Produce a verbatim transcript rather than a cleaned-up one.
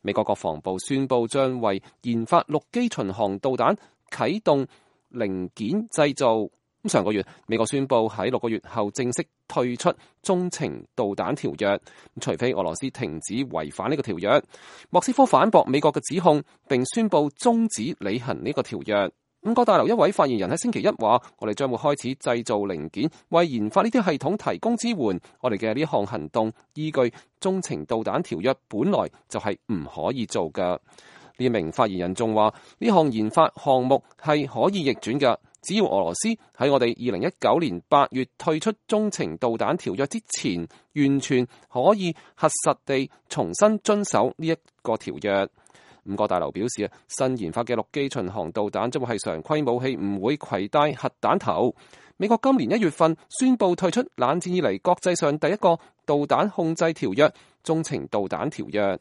美國國防部宣布將為研發陸基巡航導彈啟動零件製造。上個月，美國宣布喺六個月後正式退出中程導彈條約，除非俄羅斯停止違反呢個條約。莫斯科反駁美國嘅指控，並宣布終止履行呢個條約。五角大樓一位發言人喺星期一話：我哋將會開始製造零件，為研發呢啲系統提供支援。我哋嘅呢項行動依據中程導彈條約本來就係唔可以做㗎。呢名發言人仲話：呢項研發項目係可以逆轉㗎。只要俄羅斯喺我哋二零一九年八月退出中程導彈條約之前，完全可以核實地重新遵守呢一個條約。五角大樓表示啊，新研發嘅陸基巡航導彈將會係常規武器，唔會攜帶核彈頭。美國今年一月份宣布退出冷戰以嚟國際上第一個導彈控制條約——中程導彈條約。